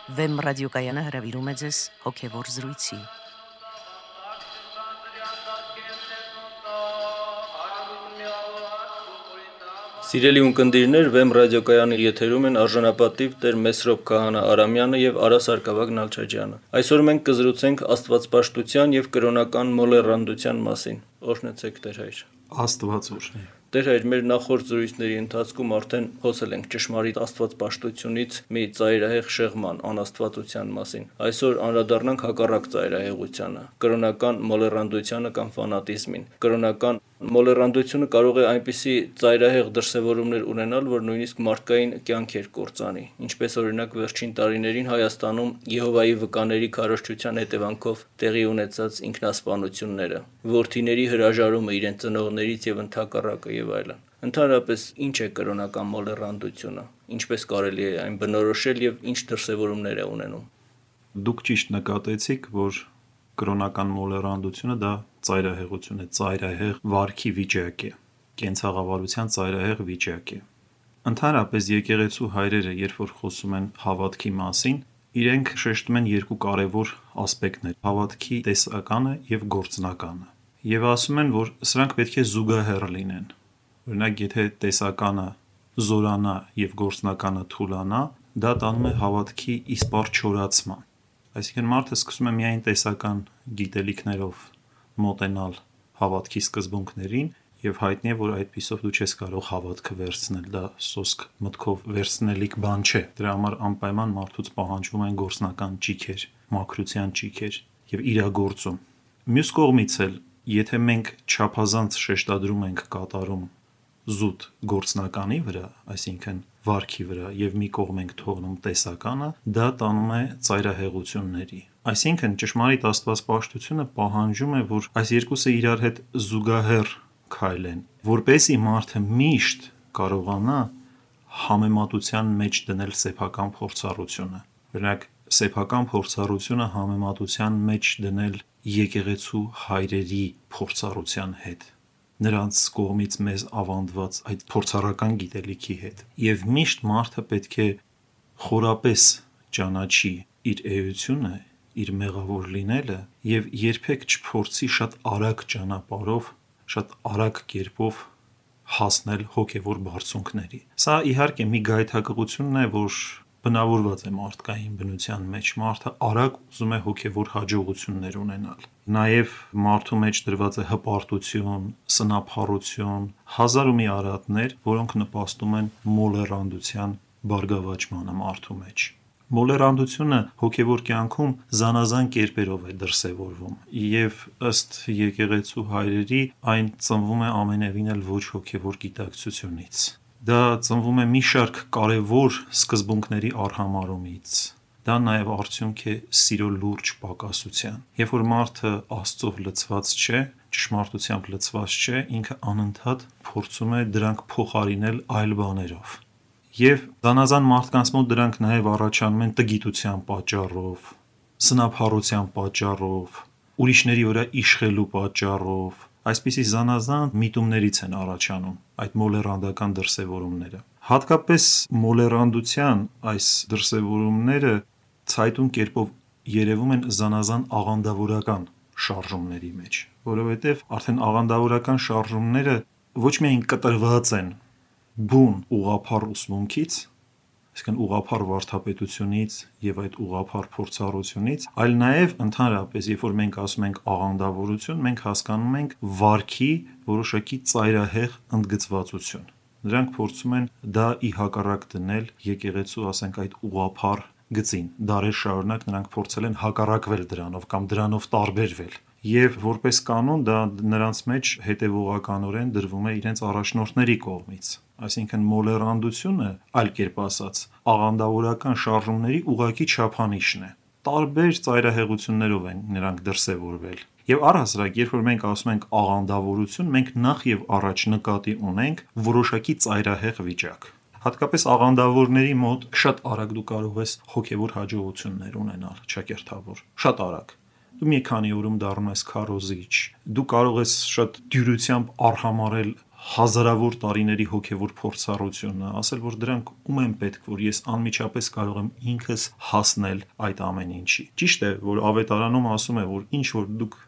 Վեմ ռադիոկայանը հրավիրում է ձեզ հոգևոր զրույցի։ Սիրելի ունկնդիրներ, Վեմ ռադիոկայանի եթերում են արժանապատիվ Տեր Մեսրոպ Քահանա Արամյանը եւ Արա Սարգսակ Նալչաջյանը։ Այսօր մենք կզրուցենք աստվածպաշտության եւ կրոնական մոլեռանդության մասին։ Օրհնեցեք Տեր հայր։ Աստված օրհնի։ Տեր հայր, մեր նախորդ զրույցների ընթացքում արդեն խոսել ենք ճշմարիտ աստվածպաշտությունից մի ծայրահեղ շեղման, անաստվածության մասին։ Այսօր անդրադառնանք հակառակ ծայրահեղությանը, կրոնական մոլեռանդությանը կամ ֆանատիզմին։ Կրոնական մոլեռանդությունը կարող է այնպիսի ծայրահեղ դրսևորումներ ունենալ, որ նույնիսկ մարդկային կյանքեր կործանի, ինչպես օրինակ վերջին տարիներին Հայաստանում Եհովայի վկաների քարոզչության հետևանքով տեղի ունեցած ինքնասպանությունները, որդիների հրաժարումը իրենց ծնողներից եւ ընդհակառակը եւ այլն։ Ընդհանրապես, ինչ է կրոնական մոլեռանդությունը, ինչպես կարելի է այն բնորոշել եւ ինչ դրսևորումներ է ունենում։ Դուք ճիշտ նկատեցիք, որ կրոնական մոլեռանդությունը դա ծայրահեղություն է, ծայրահեղ վարքի վիճակ է, կենցաղավարության ծայրահեղ վիճակ է։ Ընդհանրապես եկեղեցու հայրերը, երբ որ խոսում են հավատքի մասին, իրենք շեշտում են երկու կարևոր ասպեկտներ՝ հավատքի տեսականը եւ գործնականը։ Եվ ասում են, որ սրանք պետք է զուգահեռ լինեն։ Օրինակ, եթե տեսականը զորանա եւ գործնականը թուլանա, դա տանում է հավատքի իսպառ չորացման։ Այսինքն մարդը սկսում է միայն տեսական գիտելիքներով մոտենալ հավատքի սկզբունքներին եւ հայտնի է, որ այդպիսով դու չես կարող հավատքը վերցնել, դա սոսկ մտքով վերցնելիք բան չէ։ Դրա համար անպայման մարդուց պահանջվում են գործնական ճիգեր, մաքրության ճիգեր եւ իրագործում։ Մյուս կողմից էլ, եթե մենք չափազանց շեշտադրում ենք կատարում զուտ գործնականի վրա, այսինքն վարքի վրա եւ մի կողմ ենք թողնում տեսականը, դա տանում է ծայրահեղությունների։ Այսինքն ճշմարիտ աստվածպաշտությունը պահանջում է, որ այս երկուսը իրար հետ զուգահեռ քայլեն, որպեսզի մարդը միշտ կարողանա համեմատության մեջ դնել սեփական փորձառությունը։ Օրինակ, սեփական փորձառությունը համեմատության մեջ դնել եկեղեցու հայրերի փորձառության հետ, նրանց կողմից մեզ ավանդված այդ փորձառական գիտելիքի հետ։ Եվ միշտ մարդը պետք է խորապես ճանաչի իր էությունը, իր մեղավոր լինելը եւ երբեք չփորձի շատ արագ ճանապարհով, շատ արագ կերպով հասնել հոգևոր բարձունքների։ Սա իհարկե մի գայթակղությունն է, որ բնավորված է մարդկային բնության մեջ։ Մարդը արագ ուզում է հոգևոր հաջողություններ ունենալ։ Նաև մարդու մեջ դրված է հպարտություն, սնափառություն, հազար ու մի արատներ, որոնք նպաստում են մոլեռանդության բարգավաճմանը մարդու մեջ։ Մոլեռանդությունը հոգևոր կյանքում զանազան կերպերով է դրսևորվում եւ ըստ եկեղեցու հայրերի այն ծնվում է ամենևին էլ ոչ հոգևոր գիտակցությունից։ Դա ծնվում է մի շարք կարևոր սկզբունքների արհամարումից։ Դա նաև արդյունք է սիրո լուրջ պակասության։ Երբ որ մարդը Աստծով լցված չէ, ճշմարտությամբ լցված չէ, ինքը անընդհատ փորձում է դրանք փոխարինել այլ բաներով։ Եվ զանազան մարդկանց մոտ դրանք նաև առաջանում են տգիտության պատճառով, սնափառության պատճառով, ուրիշների վրա իշխելու պատճառով, այսպիսի զանազան միտումներից են առաջանում այդ մոլեռանդական դրսևորումները։ Հատկապես մոլեռանդության այս դրսևորումները ցայտուն կերպով երևում են զանազան աղանդավորական շարժումների մեջ, որովհետև արդեն աղանդավորական շարժումները ոչ միայն կտրված են բուն ուղղափառ ուսմունքից, այսինքն ուղղափառ վարդապետությունից եւ այդ ուղղափառ փորձառությունից, այլ նաեւ ընդհանրապես, երբ որ մենք ասում ենք աղանդավորություն, մենք հասկանում ենք վարքի որոշակի ծայրահեղ ընդգծվածություն։ Նրանք փորձում են դա ի հակառակ դնել եկեղեցու, ասենք, այդ ուղղափառ գծին։ Դարեր շարունակ նրանք փորձել են հակառակվել դրանով կամ դրանով տարբերվել։ Եվ որպես կանոն դա նրանց մեջ հետևողականորեն դրվում է իրենց առաջնորդների կողմից։ Այսինքն մոլեռանդությունը, այլ կերպ ասած, աղանդավորական շարժումների ուղղակի չափանիշն է։ Տարբեր ծայրահեղություններով են նրանք դրսևորվել։ Եվ առհասարակ, երբ որ մենք ասում ենք աղանդավորություն, մենք նախ եւ առաջ նկատի ունենք որոշակի ծայրահեղ վիճակ։ Հատկապես աղանդավորների մոտ շատ արագ դու կարող ես հոգևոր հաջողություններ ունենալ, ճակերտավոր, շատ արագ։ Դու մի քանի օրում դառնում ես քարոզիչ, դու կարող ես շատ դյուրությամբ արհամարել հազարավոր տարիների հոգևոր փորձառությունը, ասել, որ դրանք ում են պետք, որ ես անմիջապես կարող եմ ինքս հասնել այդ ամեն ինչի։ Ճիշտ է, որ ավետարանում ասում է, որ ինչ որ դուք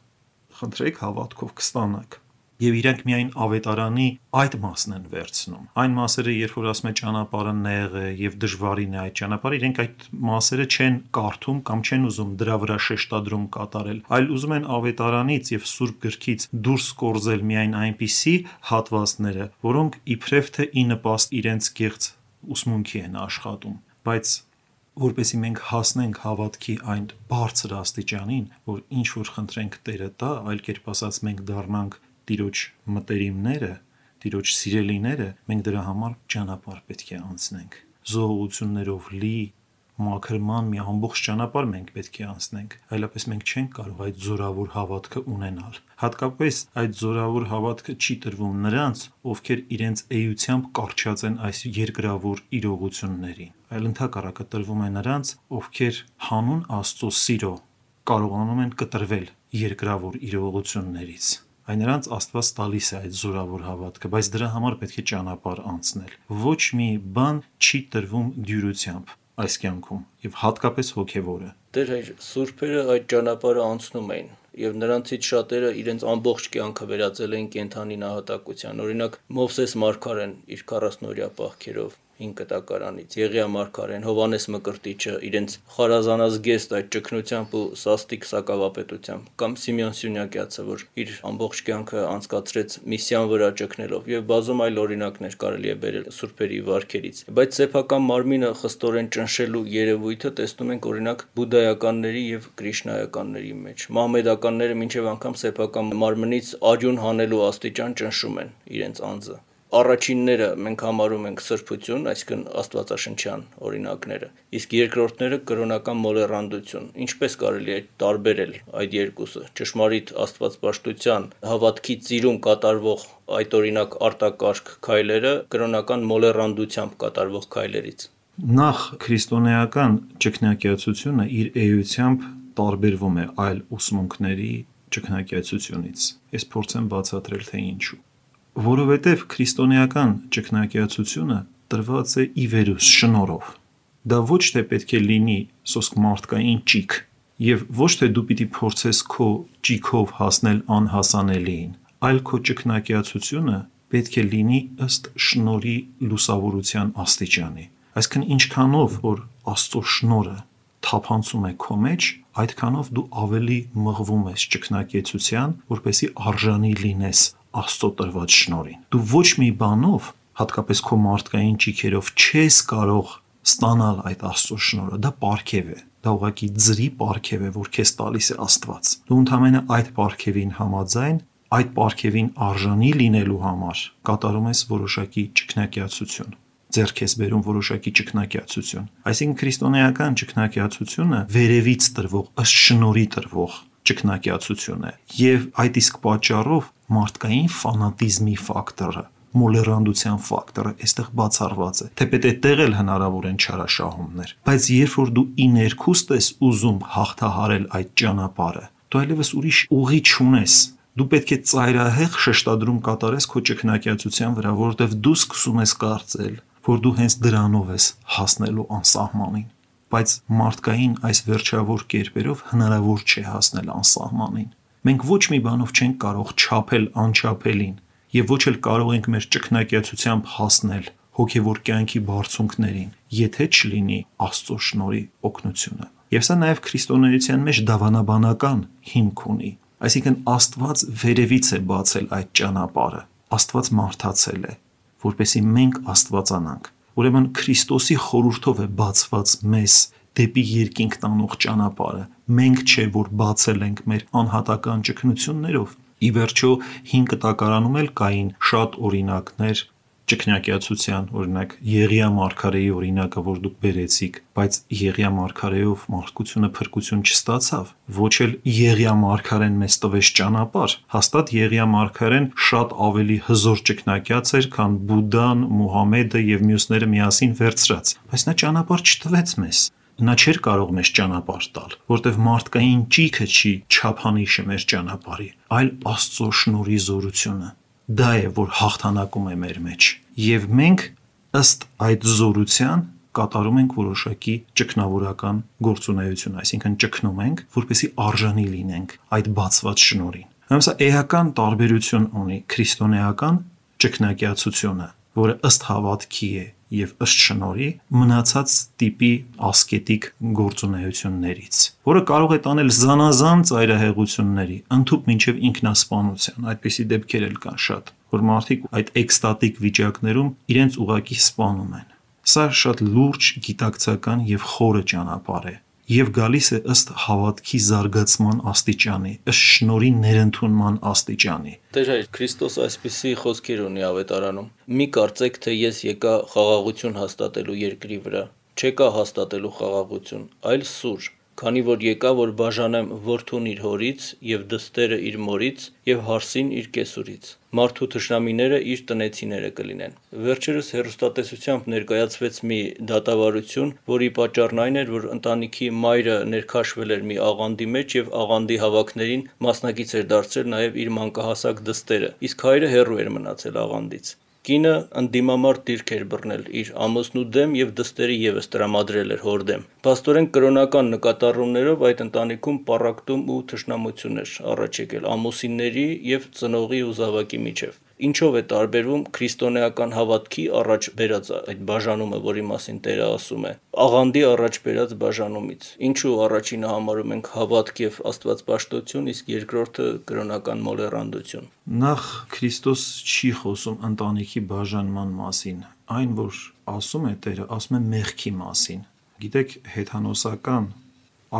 խնդրեք, հավատքով կստանաք։ Եվ իրանք միայն ավետարանի այդ մասն են վերցնում։ Այն մասերը, երբ որ ասում է ճանապարհը նեղ է եւ դժվարին է այդ ճանապարհը, իրենք այդ մասերը չեն կարդում կամ չեն ուզում դրա վրա շեշտադրում կատարել, այլ ուզում են ավետարանից եւ Սուրբ գրքից դուրս կորզել միայն այնպիսի հատվածները, որոնք իբրև թե ի նպաստ իրենց գեղձ ուսմունքի են աշխատում, բայց որպեսզի մենք հասնենք հավատքի այն բարձր աստիճանին, որ ինչ որ խնդրենք Տերը տա, այլ կերպ ասած մենք դառնանք Տիրոջ մտերիմները, Տիրոջ սիրելիները, մենք դրա համար ճանապարհ պետք է անցնենք։ Զոհություններով լի մաքրման մի ամբողջ ճանապարհ մենք պետք է անցնենք, այլապես մենք չենք կարող այդ զորավոր հավատքը ունենալ։ Հատկապես այդ զորավոր հավատքը չի տրվում նրանց, ովքեր իրենց էությամբ կառչած են այս երկրավոր իրողություններին, այլ ընդհակառակը տրվում է նրանց, ովքեր հանուն Աստծո սիրո կարողանում են կտրվել երկրավոր իրողություններից։ Այն նրանց Աստված տալիս է այդ զորավոր հավատքը, բայց դրա համար պետք է ճանապարհ անցնել։ Ոչ մի բան չի տրվում դյուրությամբ այս կյանքում եւ հատկապես հոգեվորը։ Տեր հայր, սուրբերը այդ ճանապարհը անցնում էին եւ նրանցից շատերը իրենց ամբողջ կյանքը վերածել էին կենթանի նահատակության։ Օրինակ Մովսես Մարգարեն իր 40-օրյա պահքերով 5 կտակարանից, Եղիա Մարգարեն, Հովանես Մկրտիչը իրենց խարազանած գեստ այդ ճգնությամբ ու սաստիկ սակավապետությամբ, կամ Սիմեոն Սյունյակյացը, որ իր ամբողջ կյանքը անցկացրեց միսիան վրա ճգնելով, եւ բազում այլ օրինակներ կարելի է բերել սուրբերի վարքերից։ Բայց սեփական մարմինը խստորեն ճնշելու երևույթը տեսնում ենք օրինակ բուդդայականների եւ կրիշնայականների մեջ։ Մահմեդականները մինչեւ անգամ սեփական մարմնից արյուն հանելու աստիճան ճնշում են իրենց անձը։ Առաջինները մենք համարում ենք սրբություն, այսինքն աստվածաշնչյան օրինակները, իսկ երկրորդները կրոնական մոլեռանդություն։ Ինչպես կարելի է տարբերել այդ երկուսը։ Ճշմարիտ աստվածպաշտության հավատքի ծիրում կատարվող այդ օրինակ արտակարգ քայլերը կրոնական մոլեռանդությամբ կատարվող քայլերից։ Նախ քրիստոնեական ճգնակիացությունը իր էությամբ տարբերվում է այլ ուսմունքների ճգնակիացությունից։ Ես փորձեմ բացատրել, թե ինչու։ Որովհետև քրիստոնեական ճգնակիացությունը տրված է ի վերուս շնորհով։ Դա ոչ թե պետք է լինի սոսկ մարդկային ճիք, եւ ոչ թե դու պիտի փորձես քո ճիքով հասնել անհասանելիին, այլ քո ճգնակիացությունը պետք է լինի ըստ շնորհի լուսավորության աստիճանի։ Այսինքն ինչքանով որ Աստծո շնորհը թափանցում է քո մեջ, այդքանով դու ավելի մղվում ես ճգնակիեցության, որպեսզի արժանի լինես Աստծո տրված շնորհին։ Դու ոչ մի բանով, հատկապես քո մարդկային ճիքերով չես կարող ստանալ այդ Աստծո շնորհը, դա պարգև է, դա ուղղակի ձրի պարգև է, որ քեզ տալիս է Աստված։ Դու ընդհանրապես այդ պարգևին համաձայն, այդ պարգևին արժանի լինելու համար կատարում ես որոշակի ճգնակիացություն, ձեռք ես բերում որոշակի ճգնակիացություն։ Այսինքն քրիստոնեական ճգնակիացությունը վերևից տրվող, ըստ շնորհի տրվող ճգնակիացություն է, եւ այդ իսկ պատճառով մարդկային ֆանատիզմի ֆակտորը, մոլեռանդության ֆակտորը այստեղ բացառված է։ Թեպետ այդտեղ էլ հնարավոր են չարաշահումներ, բայց երբ որ դու ի ներքուստ ես ուզում հաղթահարել այդ ճանապարհը, դու այլևս ուրիշ ուղի չունես։ Դու պետք է ծայրահեղ շեշտադրում կատարես քո ճգնակիացության վրա, որովհետև դու սկսում ես կարծել, որ դու հենց դրանով ես հասնելու անսահմանին, բայց մարդկային այս վերջավոր կերպերով հնարավոր չէ հասնել անսահմանին։ Մենք ոչ մի բանով չենք կարող չափել անչափելին, եւ ոչ էլ կարող ենք մեր ճգնակիացությամբ հասնել հոգեվոր կյանքի բարձունքներին, եթե չլինի Աստծո շնորհի օգնությունը։ Եվ սա նաեւ քրիստոնեության մեջ դավանաբանական հիմք ունի։ Այսինքն Աստված վերևից է բացել այդ ճանապարհը, Աստված մարդացել է, որպեսզի մենք աստվածանանք։ Ուրեմն Քրիստոսի խորհրդով է բացված մեզ դեպի երկինք տանող ճանապարհը։ Մենք չէ որ բացել ենք մեր անհատական ճգնություններով։ Ի վերջո 5 կտակարանում էլ կային շատ օրինակներ ճգնակիացության, օրինակ Եղիա Մարգարեի օրինակը, որ դուք բերեցիք, բայց Եղիա Մարգարեով մարդկությունը փրկություն չստացավ։ Ոչ էլ Եղիա Մարգարեն մեզ տվեց ճանապարհ։ Հաստատ Եղիա Մարգարեն շատ ավելի հզոր ճգնակիաց էր, քան Բուդդան, Մուհամեդը եւ մյուսները միասին վերցրած։ Բայց նա ճանապարհ չտվեց մեզ։ Նա չէր կարող մեզ ճանապարհ տալ, որտեղ մարդկային ճիքը չի չափանիշը մեր ճանապարհի, այլ Աստծո շնորհի զորությունը։ դա է, որ հաղթանակում է մեր մեջ։ Եվ մենք ըստ այդ զորության կատարում ենք որոշակի ճգնավորական գործունեություն, այսինքն ճգնում ենք, որպեսզի արժանի լինենք այդ բացված շնորհին։ Սա էական տարբերություն ունի քրիստոնեական ճգնակիացությունը, որը ըստ հավատքի է եւ ըստ շնորհի մնացած տիպի ասկետիկ գործունեություններից, որը կարող է տանել զանազան ծայրահեղությունների, ընդհուպ մինչև ինքնասպանության։ Այդպիսի դեպքեր էլ կան շատ, որ մարդիկ այդ էկստատիկ վիճակներում իրենց ուղակի սպանում են։ Սա շատ լուրջ գիտակցական եւ խորը ճանապարհ է եւ գալիս է ըստ հավատքի զարգացման աստիճանի, ըստ շնորհի ներընդունման աստիճանի։ Տեր հայր, Քրիստոս այսպիսի խոսքեր ունի ավետարանում. «Մի կարծեք, թե ես եկա խաղաղություն հաստատելու երկրի վրա, չեկա հաստատելու խաղաղություն, այլ սուր, քանի որ եկա, որ բաժանեմ որդուն իր հորից եւ դստերը իր մորից եւ հարսին իր կեսուրից։ Մարդու թշնամիները իր տնեցիները կլինեն»։ Վերջերս հեռուստատեսությամբ ներկայացվեց մի դատավարություն, որի պատճառն այն էր, որ ընտանիքի մայրը ներքաշվել էր մի աղանդի մեջ եւ աղանդի հավաքներին մասնակից էր դարձել նաեւ իր մանկահասակ դստերը, իսկ հայրը հեռու էր մնացել աղանդից։ Կինը ընդդիմամարտ դիրք էր բռնել իր ամուսնու դեմ եւ դստերը եւս տրամադրել էր հոր դեմ։ Փաստորեն կրոնական նկատառումներով այդ ընտանիքում պառակտում ու թշնամություն էր առաջ եկել ամուսինների եւ ծնողի ու զավակի միջև։ Ինչով է տարբերվում քրիստոնեական հավատքի առաջ բերած այդ բաժանումը, որի մասին Տերը ասում է, աղանդի առաջ բերած բաժանումից։ Ինչու առաջինը համարում ենք հավատք եւ աստվածպաշտություն, իսկ երկրորդը կրոնական մոլեռանդություն։ Նախ Քրիստոս չի խոսում ընտանիքի բաժանման մասին, այն որ ասում է Տերը, ասում է մեղքի մասին։ Գիտեք, հեթանոսական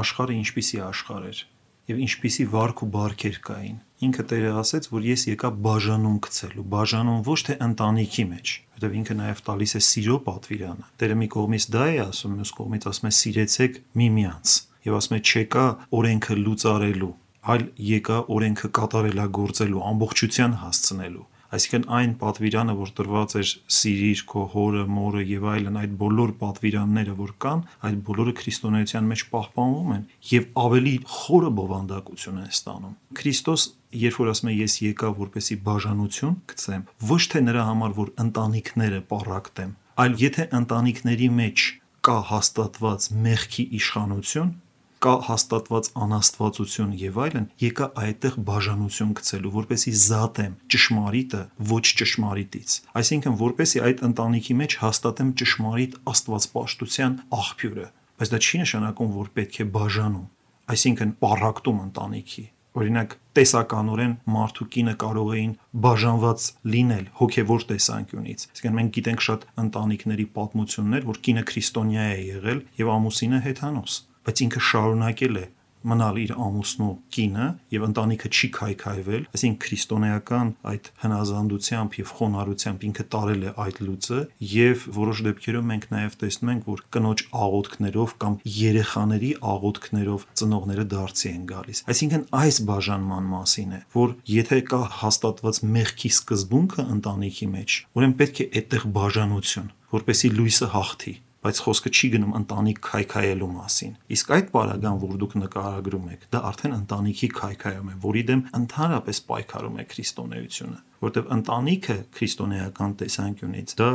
աշխարհը ինչպիսի աշխարհ էր եւ ինչպիսի վարք ու բարքեր կային։ Ինքը Տերը ասեց, որ ես եկա բաժանում գցելու, բաժանում ոչ թե ընտանիքի մեջ, որտեղ ինքը նաև տալիս է սիրո պատվիրանը։ Տերը մի կողմից դա է ասում, մյուս կողմից ասում է սիրեցեք միմյանց եւ ասում է չեկա օրենքը լուծարելու, այլ եկա օրենքը կատարելագործելու, ամբողջության հասցնելու։ Այսինքն այն պատվիրանը, որ տրված էր սիրիր քո հորը, մորը եւ այլն, այդ բոլոր պատվիրանները, որ կան, այդ բոլորը քրիստոնեության մեջ պահպանվում են եւ ավելի խորը բովանդակություն են ստանում։ Քրիստոս, երբ որ ասում է ես եկա որպեսի բաժանություն գցեմ, ոչ թե նրա համար, որ ընտանիքները պառակտեմ, այլ եթե ընտանիքների մեջ կա հաստատված մեղքի իշխանություն, կա հաստատված անաստվածություն եւ այլն, եկա այդտեղ բաժանություն գցելու, որպեսի զատեմ ճշմարիտը ոչ ճշմարիտից։ Այսինքն, որպեսի այդ ընտանիքի մեջ հաստատեմ ճշմարիտ աստվածպաշտության աղբյուրը, բայց դա չի նշանակում, որ պետք է բաժանում, այսինքն պառակտում ընտանիքի։ Օրինակ, տեսականորեն մարդ ու կինը կարող էին բաժանված լինել հոգևոր տեսանկյունից։ Այսինքն մենք գիտենք շատ ընտանիքների պատմություններ, որ կինը քրիստոնյա է եղել եւ ամուսինը հեթանոս, բայց ինքը շարունակել է մնալ իր ամուսնու կինը եւ ընտանիքը չի քայքայվել, այսինքն քրիստոնեական այդ հնազանդությամբ եւ խոնարհությամբ ինքը տարել է այդ լուծը եւ որոշ դեպքերում մենք նաեւ տեսնում ենք, որ կնոջ աղոթքներով կամ երեխաների աղոթքներով ծնողները դարձի են գալիս։ Այսինքն այս բաժանման մասին է, որ եթե կա հաստատված մեղքի սկզբունքը ընտանիքի մեջ, ուրեմն պետք է այդտեղ բաժանություն, որպեսզի լույսը հաղթի։ Բայց խոսքը չի գնում ընտանիք քայքայելու մասին։ Իսկ այդ պարագան, որ դուք նկարագրում եք, դա արդեն ընտանիքի քայքայում է, որի դեմ ընդհանրապես պայքարում է քրիստոնեությունը, որտեղ ընտանիքը քրիստոնեական տեսանկյունից դա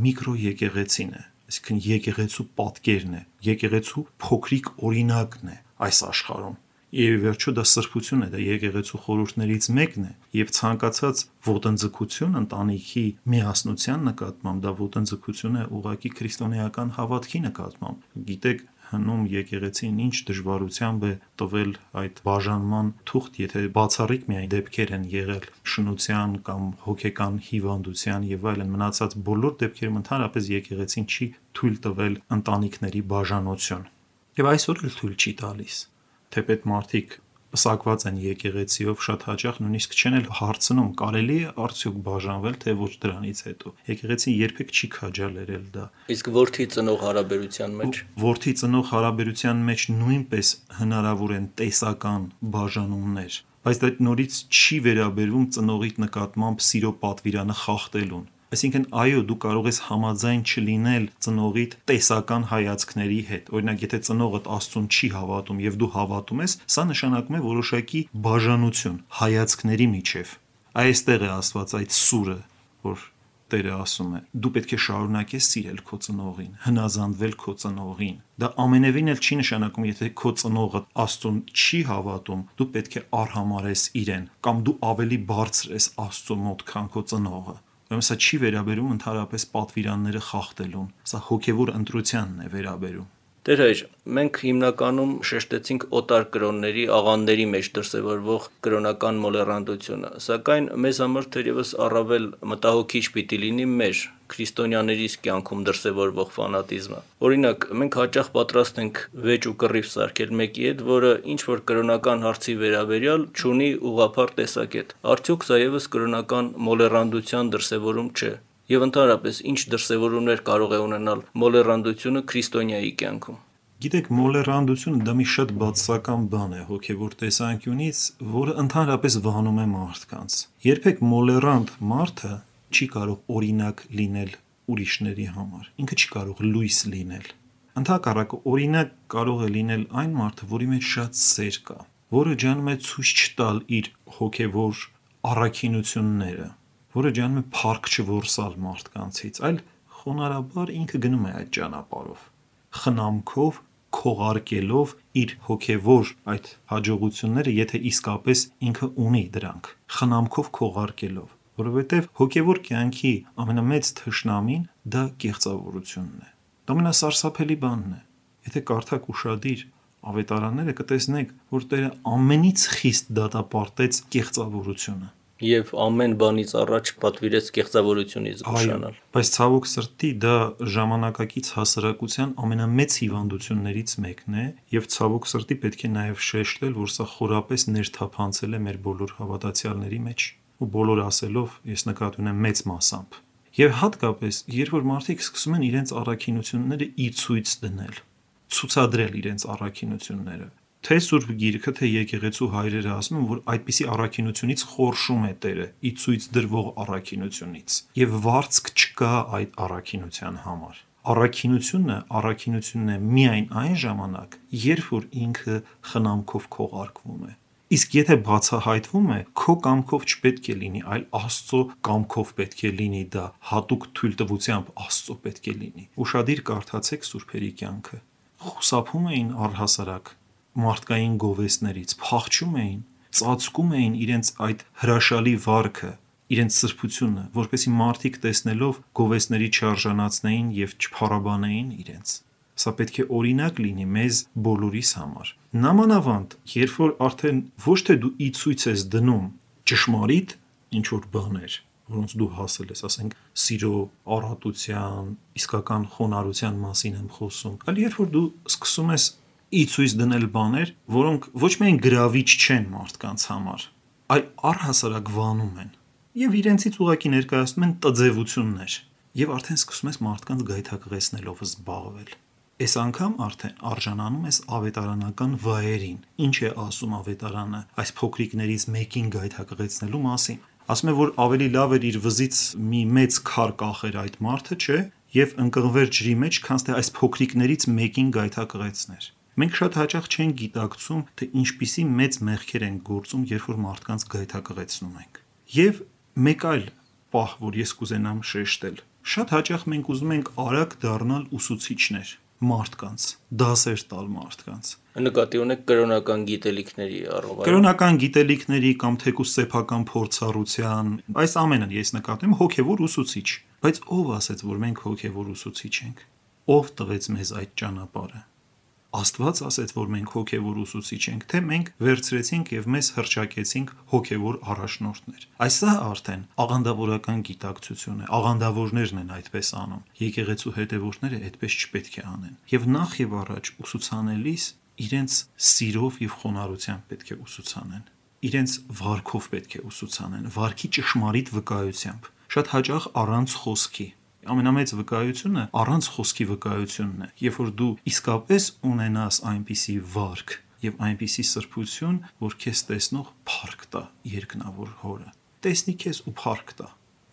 միկրոեկեղեցին է, այսինքն եկեղեցու պատկերն է, եկեղեցու փոքրիկ օրինակն է այս աշխարհում։ Եվ վերջո դա սրբություն է, դա եկեղեցու խորհուրդներից մեկն է, եւ ցանկացած ոտնձգություն ընտանիքի միասնության նկատմամբ դա ոտնձգություն է ուղղակի քրիստոնեական հավատքի նկատմամբ։ Գիտեք, հնում եկեղեցին ինչ դժվարությամբ է տվել այդ բաժանման թուղթ, եթե բացառիկ միայն դեպքեր են եղել շնության կամ հոգեկան հիվանդության եւ այլն, մնացած բոլոր դեպքերում ընդհանրապես եկեղեցին չի թույլ տվել ընտանիքների բաժանություն։ Եվ այսօր էլ թույլ չի տալիս։ Թեպետ մարդիկ պսակված են եկեղեցիով, շատ հաճախ նույնիսկ չեն էլ հարցնում, կարելի է արդյոք բաժանվել, թե ոչ դրանից հետո։ Եկեղեցին երբեք չի քաջալերել դա։ Իսկ որդի ծնող հարաբերության մեջ։ Որդի ծնող հարաբերության մեջ նույնպես հնարավոր են տեսական բաժանումներ, բայց դա նորից չի վերաբերվում ծնողիդ նկատմամբ սիրո պատվիրանը խախտելուն։ Այսինքն, այո, դու կարող ես համաձայն չլինել ծնողիդ տեսական հայացքների հետ։ Օրինակ, եթե ծնողդ Աստծուն չի հավատում եւ դու հավատում ես, սա նշանակում է որոշակի բաժանություն հայացքների միջև։ Այստեղ է Աստված այդ սուրը, որ Տերը ասում է. դու պետք է շարունակես սիրել քո ծնողին, հնազանդվել քո ծնողին։ Դա ամենևին էլ չի նշանակում, եթե քո ծնողը Աստծուն չի հավատում, դու պետք է արհամարես իրեն, կամ դու ավելի բարձր ես Աստծո մոտ, քան քո ծնողը։ Ուրեմն սա չի վերաբերում ընդհանրապես պատվիրանները խախտելուն, սա հոգևոր ընտրությանն է վերաբերում։ Տեր հայր, մենք հիմնականում շեշտեցինք օտար կրոնների, աղանդերի մեջ դրսևորվող կրոնական մոլեռանդությունը, սակայն մեզ համար թերևս առավել մտահոգիչ պիտի լինի մեր քրիստոնյաներիս կյանքում դրսևորվող ֆանատիզմը։ Օրինակ, մենք հաճախ պատրաստ ենք վեճ ու կռիվ սարքել մեկի հետ, որը ինչ-որ կրոնական հարցի վերաբերյալ չունի ուղղափառ տեսակետ։ Արդյոք սա ևս կրոնական մոլեռանդության դրսևորում չէ։ Եվ ընդհանրապես ինչ դրսևորումներ կարող է ունենալ մոլեռանդությունը քրիստոնյայի կյանքում։ Գիտեք, մոլեռանդությունը դա մի շատ բացասական բան է հոգևոր տեսանկյունից, որը ընդհանրապես վանում է մարդկանց։ Երբեք մոլեռանդ մարդը չի կարող օրինակ լինել ուրիշների համար։ Ինքը չի կարող լույս լինել։ Ընդհակառակը օրինակ կարող է լինել այն մարդը, որի մեջ շատ սեր կա, որը ջանում է ցույց չտալ իր հոգևոր առաքինությունները, որը ջանում է փառք չորսալ մարդկանցից, այլ խոնարհաբար ինքը գնում է այդ ճանապարհով, խնամքով, քողարկելով իր հոգևոր այդ հաջողությունները, եթե իսկապես ինքը ունի դրանք, խնամքով քողարկելով, որովհետև հոգևոր կյանքի ամենամեծ թշնամին դա կեղծավորությունն է։ Դա ամենասարսափելի բանն է։ Եթե կարդաք ուշադիր ավետարանները, կտեսնեք, որ Տերը ամենից խիստ դատապարտեց կեղծավորությունը։ Եվ ամեն բանից առաջ պատվիրեց կեղծավորությունից զգուշանալ։ Բայց ցավոք սրտի դա ժամանակակից հասարակության ամենամեծ հիվանդություններից մեկն է, եւ ցավոք սրտի պետք է նաեւ շեշտել, որ սա խորապես ներթափանցել է մեր բոլոր հավատացյալների մեջ, ու բոլոր ասելով ես նկատի ունեմ մեծ մասամբ։ Եվ հատկապես, երբ որ մարդիկ սկսում են իրենց առաքինությունները ի ցույց դնել, ցուցադրել իրենց առաքինությունները, թե Սուրբ Գիրքը, թե եկեղեցու հայրերը ասում են, որ այդպիսի առաքինությունից խորշում է Տերը, ի ցույց դրվող առաքինությունից, եւ վարձք չկա այդ առաքինության համար։ Առաքինությունն է միայն այն ժամանակ, երբ որ ինքը խնամքով քողարկվում է։ Իսկ եթե բացահայտվում է, քո կամքով չպետք է լինի, այլ Աստծո կամքով պետք է լինի դա, հատուկ թույլտվությամբ Աստծո պետք է լինի։ Ուշադիր կարդացեք սուրբերի կյանքը։ Խուսափում էին առհասարակ մարդկային գովեստներից, փախչում էին, ծածկում էին իրենց այդ հրաշալի վարքը, իրենց սրբությունը, որպեսզի մարդիկ տեսնելով գովեստների չարժանացնեին եւ չփառաբանեին իրենց։ Սա պետք է օրինակ լինի մեզ բոլորիս համար։ Նամանավանդ, երբ որ արդեն ոչ թե դու ի ցույց ես դնում ճշմարիտ ինչ որ բաներ, որոնց դու հասել ես, ասենք, սիրո, առատության, իսկական խոնարհության մասին եմ խոսում, այլ երբ որ դու սկսում ես ի ցույց դնել բաներ, որոնք ոչ միայն գրավիչ չեն մարդկանց համար, այլ առհասարակ վանում են եւ իրենցից ուղակի ներկայացնում են տձևություններ եւ արդեն սկսում ես մարդկանց գայթակղեցնելով զբաղվել։ Այս անգամ արդեն արժանանում ես ավետարանական վայերին։ Ինչ է ասում ավետարանը այս փոքրիկներից մեկին գայթակղեցնելու մասին։ Ասում է, որ ավելի լավ էր իր վզից մի մեծ քար կախեր այդ մարդը, չէ, եւ ընկղվեր ջրի մեջ, քան թե այս փոքրիկներից մեկին գայթակղեցներ։ Մենք շատ հաճախ չենք գիտակցում, թե ինչպիսի մեծ մեղքեր են գործում, երբ որ մարդկանց գայթակղեցնում ենք։ Եվ մեկ այլ պահ, որ ես կուզենամ շեշտել, շատ հաճախ մենք ուզում ենք արագ դառնալ ուսուցիչներ մարդկանց, դասեր տալ մարդկանց։ Նկատի ունեք կրոնական գիտելիքների առավել։ Կրոնական գիտելիքների կամ թեկուզ սեփական փորձառության, այս ամենը ես նկատում հոգևոր ուսուցիչ, բայց ով ասեց, որ մենք հոգևոր ուսուցիչ ենք։ Ով տվեց մեզ այդ ճանապարհը։ Աստված ասեց, որ մենք հոգևոր ուսուցիչ ենք, թե մենք վերցրեցինք եւ մեզ հրճակեցինք հոգևոր առաջնորդներ։ Այսա արդեն աղանդավորական գիտակցություն է, աղանդավորներն են այդպես անում։ Եկեղեցու հետևորդները այդպես չպետք է անեն։ Եվ նախ եւ առաջ ուսուցանելիս իրենց սիրով եւ խոնարհությամբ պետք է ուսուցանեն։ Իրենց վարքով պետք է ուսուցանեն, վարքի ճշմարիտ վկայությամբ։ Շատ հաճախ առանց խոսքի։ Ամենամեծ վկայությունը առանց խոսքի վկայությունն է, երբ որ դու իսկապես ունենաս այնպիսի վարք եւ այնպիսի սրբություն, որ քեզ տեսնող փառք տա երկնավոր Հորը։ Տեսնի քեզ ու փառք տա։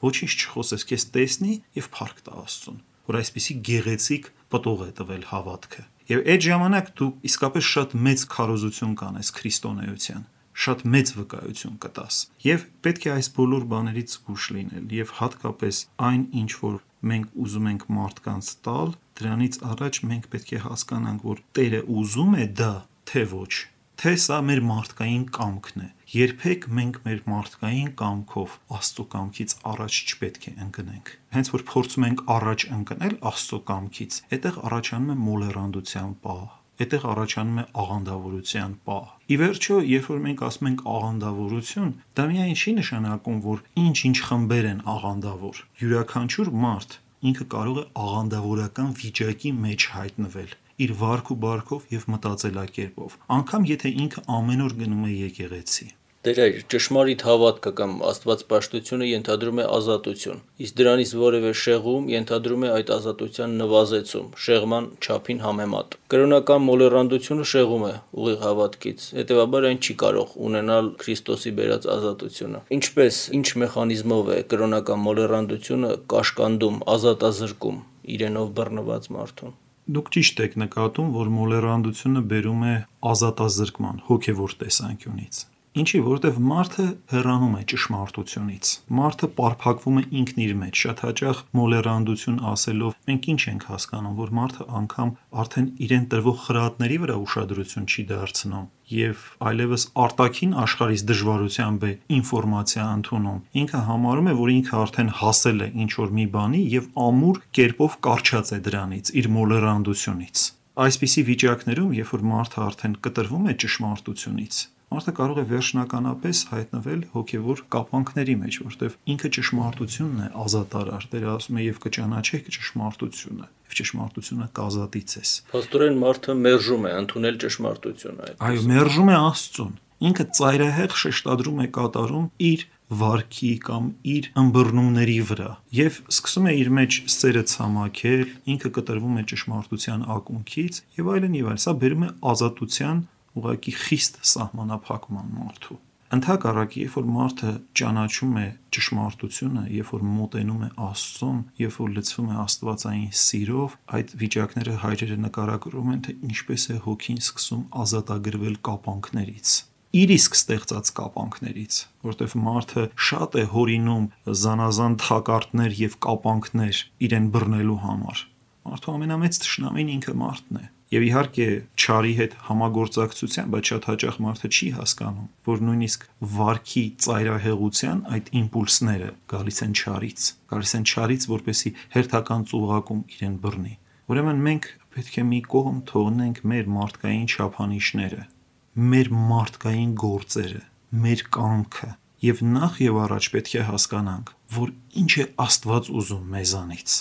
Ոչինչ չխոսես, քեզ տեսնի եւ փառք տա Աստծուն, որ այսպիսի գեղեցիկ պտուղ է տվել հավատքը։ Եվ այդ ժամանակ դու իսկապես շատ մեծ քարոզություն կանես քրիստոնեության, շատ մեծ վկայություն կտաս։ Եվ պետք է այս բոլոր բաներից զգույշ լինել, եւ հատկապես այն, ինչ որ մենք ուզում ենք մարդկանց տալ, դրանից առաջ մենք պետք է հասկանանք, որ Տերը ուզում է դա, թե ոչ, թե սա մեր մարդկային կամքն է։ Երբեք մենք մեր մարդկային կամքով Աստծո կամքից առաջ չպետք է ընկնենք։ Հենց որ փորձում ենք առաջ ընկնել Աստծո կամքից, այդտեղ առաջանում է մոլեռանդության պահ, այդտեղ առաջանում է աղանդավորության պահ։ Ի վերջո, երբ որ մենք ասում ենք աղանդավորություն, դա միայն չի նշանակում, որ ինչ-ինչ խմբեր են աղանդավոր։ Յուրաքանչյուր մարդ ինքը կարող է աղանդավորական վիճակի մեջ հայտնվել իր վարք ու բարքով եւ մտածելակերպով, անգամ եթե ինքը ամեն օր գնում է եկեղեցի։ Տեր, ճշմարիտ հավատքը կամ աստվածպաշտությունը ենթադրում է ազատություն, իսկ դրանից որևէ շեղում ենթադրում է այդ ազատության նվազեցում, շեղման չափին համեմատ։ Կրոնական մոլեռանդությունը շեղում է ուղիղ հավատքից, հետևաբար այն չի կարող ունենալ Քրիստոսի բերած ազատությունը։ Ինչպես, ինչ մեխանիզմով է կրոնական մոլեռանդությունը կաշկանդում, ազատազրկում իրենով բռնված մարդուն։ Դուք ճիշտ եք նկատում, որ մոլեռանդությունը բերում է ազատազրկման հոգևոր տեսանկյունից։ Ինչի, որտեվ մարդը հեռանում է ճշմարտությունից։ Մարդը պարփակվում է ինքն իր մեջ։ Շատ հաճախ մոլեռանդություն ասելով մենք ինչ ենք հասկանում, որ մարդը անգամ արդեն իրեն տրվող խրատների վրա ուշադրություն չի դարձնում եւ այլևս արտաքին աշխարհից դժվարությամբ է ինֆորմացիա ընդունում։ Ինքը համարում է, որ ինքը արդեն հասել է ինչ որ մի բանի եւ ամուր կերպով կարճած է դրանից, իր մոլեռանդությունից։ Այսպիսի վիճակներում, երբ որ մարդը արդեն կտրվում է ճշմարտությունից, մարդը կարող է վերջնականապես հայտնվել հոգևոր կապանքների մեջ, որտեղ ինքը ճշմարտությունն է ազատարար։ Տերը ասում է, եւ կճանաչեք ճշմարտությունը, եւ ճշմարտությունը կազատի ձեզ։ Փաստորեն մարդը մերժում է ընդունել ճշմարտությունը։ Այո, մերժում է Աստծուն։ Ինքը ծայրահեղ շեշտադրում է կատարում իր վարքի կամ իր ըմբռնումների վրա եւ սկսում է իր մեջ սերը ցամաքել, ինքը կտրվում է ճշմարտության ակունքից եւ այլն եւ այլն։ Սա բերում է ազատության ուղղակի խիստ սահմանափակման մարդու։ Ընդհակառակը, երբ որ մարդը ճանաչում է ճշմարտությունը, երբ որ մոտենում է Աստծուն, երբ որ լցվում է աստվածային սիրով, այդ վիճակները հայրերը նկարագրում են, թե ինչպես է հոգին սկսում ազատագրվել կապանքներից, իր իսկ ստեղծած կապանքներից, որտեղ մարդը շատ է հորինում զանազան թակարդներ եւ կապանքներ իրեն բռնելու համար։ Մարդու ամենամեծ թշնամին ինքը մարդն է։ Եվ իհարկե չարի հետ համագործակցության, բայց շատ հաճախ մարդը չի հասկանում, որ նույնիսկ վարքի ծայրահեղության այդ իմպուլսները գալիս են չարից, որպեսզի հերթական ծուղակում իրեն բռնի։ Ուրեմն մենք պետք է մի կողմ թողնենք մեր մարդկային չափանիշները, մեր մարդկային գործերը, մեր կամքը, եւ նախ եւ առաջ պետք է հասկանանք, որ ինչ է Աստված ուզում մեզանից,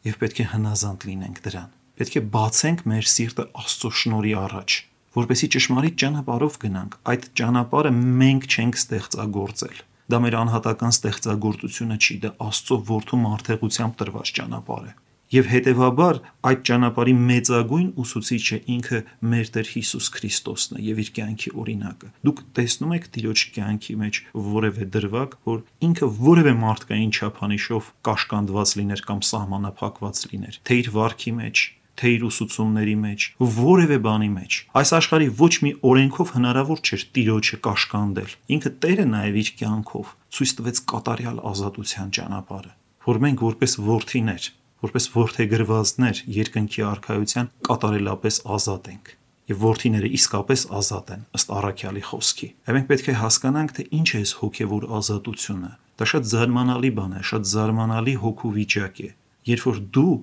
եւ պետք է հնազանդ լինենք դրան։ Պետք է բացենք մեր սիրտը Աստծո շնորհի առաջ, որպեսզի ճշմարիտ ճանապարհով գնանք։ Այդ ճանապարհը մենք չենք ստեղծագործել։ Դա մեր անհատական ստեղծագործությունը չի, դա Աստծո որդու մարդեղությամբ տրված ճանապարհ է։ Եվ հետևաբար այդ ճանապարհի մեծագույն ուսուցիչը ինքը մեր Տեր Հիսուս Քրիստոսն է եւ իր կյանքի օրինակը։ Դուք տեսնում եք Տիրոջ կյանքի մեջ որևէ դրվագ, որ ինքը որևէ մարդկային չափանիշով կաշկանդված լիներ կամ սահմանափակված լիներ, թե իր վարքի մեջ, թե իր ուսուցումների մեջ, որևէ բանի մեջ։ Այս աշխարհի ոչ մի օրենքով հնարավոր չէր Տիրոջը կաշկանդել։ Ինքը Տերը նաև իր կյանքով ցույց տվեց կատարյալ ազատության ճանապարհը, որ մենք որպես որդիներ, որպես որդեգրվածներ երկնքի արքայության կատարելապես ազատ ենք։ Եվ որդիները իսկապես ազատ են ըստ առաքյալի խոսքի։ Եվ մենք պետք է հասկանանք, թե ինչ է այս հոգևոր ազատությունը։ Դա շատ զարմանալի բան է, շատ զարմանալի հոգու վիճակ է, երբ որ դու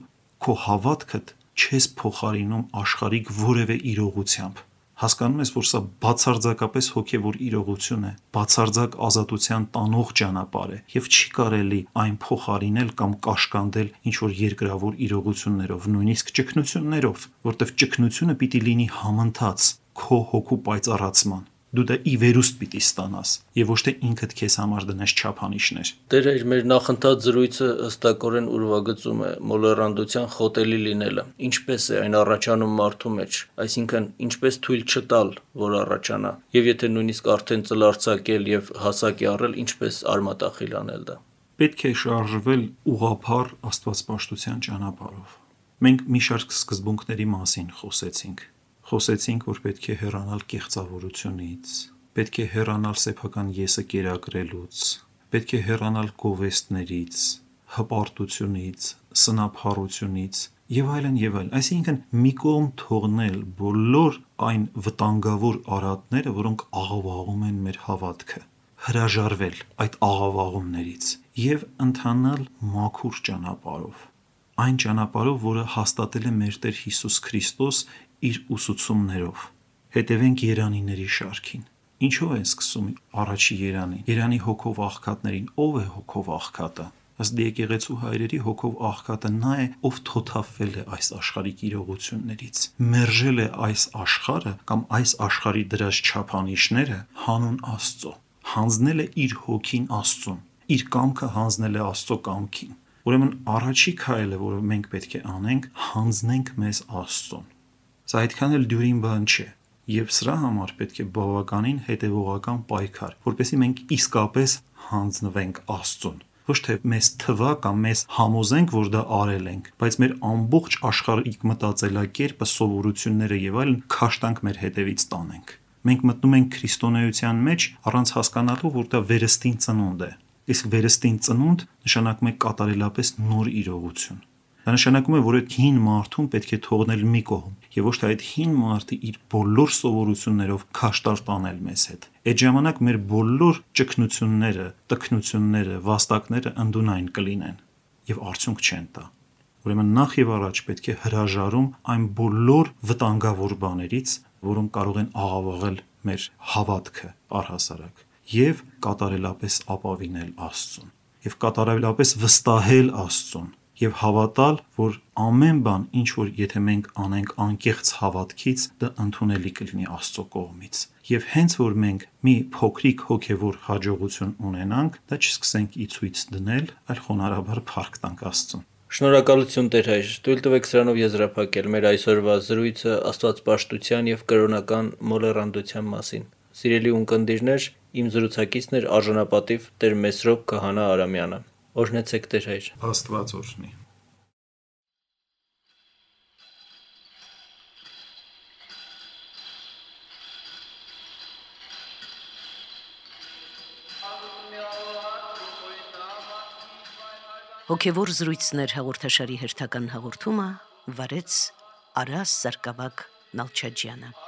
քո հավատքդ չես փոխարինում աշխարհիկ որևէ իրողությամբ։ Հասկանում ես, որ սա բացարձակապես հոգևոր իրողություն է, բացարձակ ազատության տանող ճանապարհ է, եւ չի կարելի այն փոխարինել կամ կաշկանդել ինչ-որ երկրավոր իրողություններով, նույնիսկ ճգնություններով, որտեղ ճգնությունը պիտի լինի համընթաց քո հոգու պայծառացման։ Դու դա ի վերուստ պիտի ստանաս եւ ոչ թե ինքդ քեզ համար դնես չափանիշներ։ Տերը մեր նախընթաց զրույցը հստակորեն ուրվագծում է մոլեռանդության խոտելի լինելը։ Ինչպես է այն առաջանում մարդու մեջ, այսինքն ինչպես թույլ չտալ, որ առաջանա, եւ եթե նույնիսկ արդեն ծլարձակել եւ հասակ է առել, ինչպես արմատախիլ անել դա։ Պետք է շարժվել ուղղափառ աստվածպաշտության ճանապարհով։ Մենք մի շարք սկզբունքների մասին խոսեցինք, որ պետք է հեռանալ կեղծավորությունից, պետք է հեռանալ սեփական եսը կերակրելուց, պետք է հեռանալ գովեստներից, հպարտությունից, սնափառությունից եւ այլն եւ այլն։ Այսինքն մի կողմ թողնել բոլոր այն վտանգավոր արատները, որոնք աղավաղում են մեր հավատքը, հրաժարվել այդ աղավաղումներից եւ ընթանալ մաքուր ճանապարհով, այն ճանապարհով, որը հաստատել է մեր Տեր Հիսուս Քրիստոս իր ուսուցումներով։ Հետևենք երանիների շարքին։ Ինչո՞վ է սկսում առաջի երանին։ Երանի հոգով աղքատներին ով է հոգով աղքատը։ Ըստ եկեղեցու հայրերի հոգով աղքատը նա է, ով թոթափվել է այս աշխարհիկ իրողություններից, մերժել է այս աշխարհը կամ այս աշխարհի դրած չափանիշները հանուն Աստծո, հանձնել է իր հոգին Աստծուն, իր կամքը հանձնել է Աստծո կամքին։ Ուրեմն առաջի քայլը, որը մենք պետք է անենք, հանձնենք մեզ Աստծուն։ Սա այդքան էլ դյուրին բան չէ։ Եվ սրա համար պետք է բավականին հետևողական պայքար, որպեսզի մենք իսկապես հանձնվենք Աստծուն։ Ոչ թե մեզ թվա կամ մեզ համոզենք, որ դա արել ենք, բայց մեր ամբողջ աշխարհիկ մտածելակերպը, սովորությունները եւ այլն քաշտանք մեր հետևից տանենք։ Մենք մտնում ենք քրիստոնեության մեջ առանց հասկանալու, որ դա վերստին ծնունդ է։ Իսկ վերստին ծնունդ նշանակում է կատարելապես նոր իրողություն։ Դա նշանակում է, որ այդ հին մարդուն պետք է թողնել մի կողմ, եւ ոչ թե այդ հին մարդը իր բոլոր սովորություններով քաշտար տանել մեզ հետ։ Այդ ժամանակ մեր բոլոր ճգնությունները, տքնությունները, վաստակները ընդունայն կլինեն եւ արդյունք չեն տա։ Ուրեմն նախ եւ առաջ պետք է հրաժարում այն բոլոր վտանգավոր բաներից, որոնք կարող են աղավաղել մեր հավատքը առհասարակ, եւ կատարելապես ապավինել Աստծուն, եւ կատարելապես վստահել Աստծուն, եւ հավատալ, որ ամեն բան, ինչ որ եթե մենք անենք անկեղծ հավատքից, դա ընդունելի կլինի Աստծո կողմից։ Եվ հենց որ մենք մի փոքրիկ հոգևոր հաջողություն ունենանք, դա չսկսենք ի ցույց դնել, այլ խոնարհաբար փառք տանք Աստծուն։ Շնորհակալություն Տեր հայր, թույլ տվեք սրանով եզրափակել մեր այսօրվա զրույցը աստվածպաշտության եւ կրոնական մոլեռանդության մասին։ Սիրելի ունկնդիրներ, իմ զրուցակիցն էր արժանապատիվ Տեր Մեսրոպ Քահանա Արամյանը։ Օրհնեցեք Տեր հայր։ Աստված օրհնի։ Հոգևոր զրույցներ հաղորդաշարի հերթական հաղորդումը վարեց Արաս Սարգսակ Նալչաջյանը։